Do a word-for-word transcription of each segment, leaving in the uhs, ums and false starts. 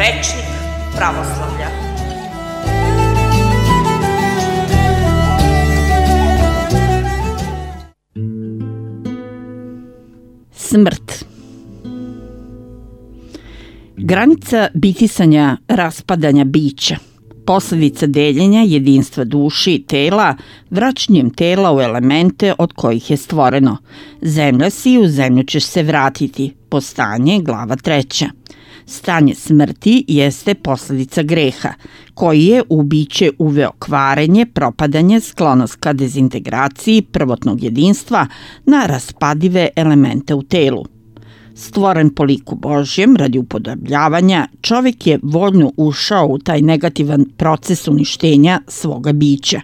rečnik pravoslavlja. Smrt. Granica bitisanja, raspadanja bića, posledica deljenja jedinstva duši i tela, vraćanjem tela u elemente od kojih je stvoreno. Zemlja si i u zemlju ćeš se vratiti. Postanje, glava treća. Stanje smrti jeste posledica greha, koji je u biće uveo kvarenje, propadanje, sklonost ka dezintegraciji prvotnog jedinstva na raspadive elemente u telu. Stvoren po liku Božjem radi upodobljavanja, čovek je voljno ušao u taj negativan proces uništenja svoga bića.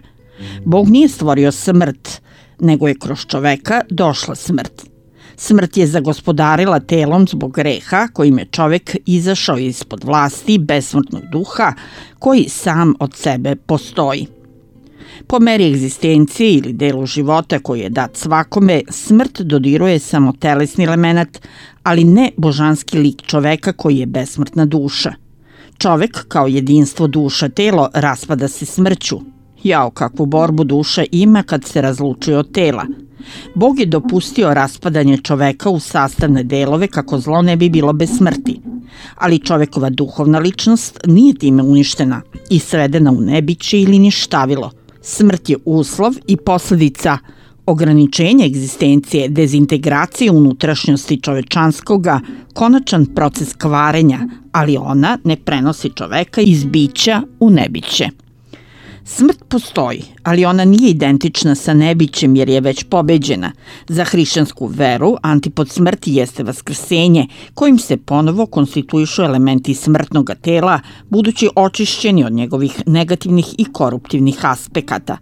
Bog nije stvorio smrt, nego je kroz čoveka došla smrt. Smrt je zagospodarila telom zbog greha kojim je čovek izašao ispod vlasti besmrtnog duha koji sam od sebe postoji. Po meri egzistencije ili delu života koji je dat svakome, smrt dodiruje samo telesni element, ali ne božanski lik čoveka koji je besmrtna duša. Čovek kao jedinstvo duša telo raspada se smrću. Jao, kakvu borbu duša ima kad se razlučuje od tela. Bog je dopustio raspadanje čoveka u sastavne delove kako zlo ne bi bilo bez smrti. Ali čovekova duhovna ličnost nije time uništena i svedena u nebiće ili ništavilo. Smrt je uslov i posledica ograničenja egzistencije, dezintegracije unutrašnjosti čovečanskoga, konačan proces kvarenja, ali ona ne prenosi čoveka iz bića u nebiće. Smrt postoji, ali ona nije identična sa nebićem jer je već pobeđena. Za hrišćansku veru antipod smrti jeste vaskrsenje, kojim se ponovo konstituišu elementi smrtnog tela, budući očišćeni od njegovih negativnih i koruptivnih aspekata.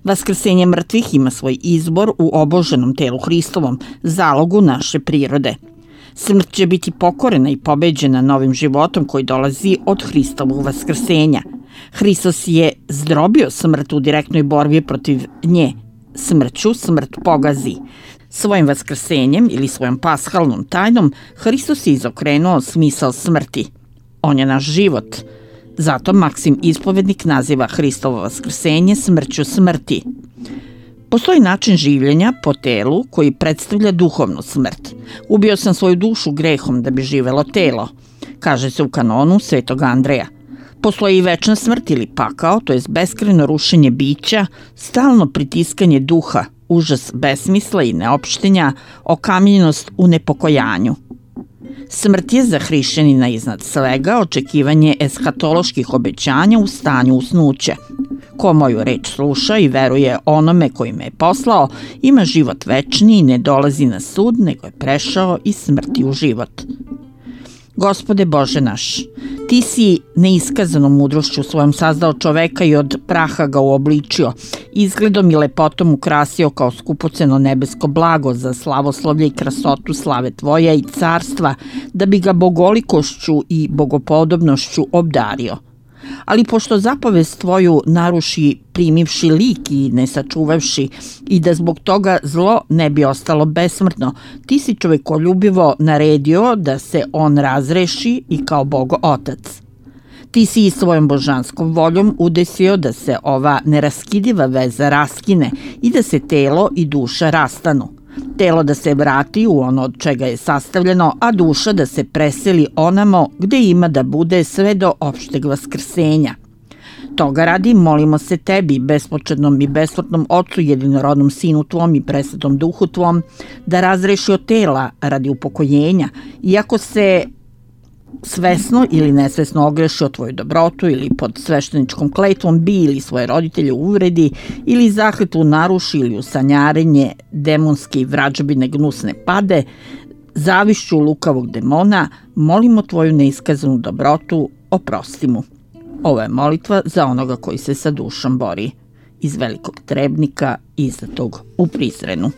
Vaskrsenje mrtvih ima svoj izbor u oboženom telu Hristovom, zalogu naše prirode. Smrt će biti pokorena i pobeđena novim životom koji dolazi od Hristovog vaskrsenja. Hristos je zdrobio smrt u direktnoj borbi protiv nje. Smrću smrt pogazi. Svojim vaskrsenjem ili svojom pashalnom tajnom Hristos je izokrenuo smisao smrti. On je naš život. Zato Maksim Ispovednik naziva Hristovo vaskrsenje smrću smrti. Postoji način življenja po telu koji predstavlja duhovnu smrt. Ubio sam svoju dušu grehom da bi živelo telo, kaže se u kanonu Svetog Andreja. Postoji i večna smrt ili pakao, to je beskrajno rušenje bića, stalno pritiskanje duha, užas besmisla i neopštenja, okamljenost u nepokojanju. Smrt je za hrišćanina iznad svega očekivanje eshatoloških obećanja u stanju usnuća. Ko moju reč sluša i veruje onome koji me je poslao, ima život večni i ne dolazi na sud, nego je prešao iz smrti u život. Gospode Bože naš, Ti si neiskazanom mudrošću svojom sazdao čoveka i od praha ga uobličio, izgledom i lepotom ukrasio kao skupoceno nebesko blago za slavoslovlje i krasotu slave Tvoja i carstva, da bi ga bogolikošću i bogopodobnošću obdario. Ali pošto zapovest Tvoju naruši primivši lik i ne sačuvavši i da zbog toga zlo ne bi ostalo besmrtno, Ti si čovekoljubivo naredio da se on razreši i kao Bog Otac. Ti si i svojom božanskom voljom udesio da se ova neraskidiva veza raskine i da se telo i duša rastanu. Telo da se vrati u ono od čega je sastavljeno, a duša da se preseli onamo gde ima da bude sve do opšteg vaskrsenja. Toga radi molimo se Tebi, bespočetnom i besmrtnom Otcu, jedinorodnom Sinu Tvom i presvetom Duhu Tvom, da razreši od tela radi upokojenja, iako se svesno ili nesvesno ogreši o Tvoju dobrotu ili pod svešteničkom kletvom bi ili svoje roditelje uvredi ili zakletvu naruši ili u sanjarenje demonske i vrađbine gnusne pade, zavišću lukavog demona, molimo Tvoju neiskazanu dobrotu, oprosti mu. Ovo je molitva za onoga koji se sa dušom bori. Iz Velikog Trebnika, izdatog u Prizrenu.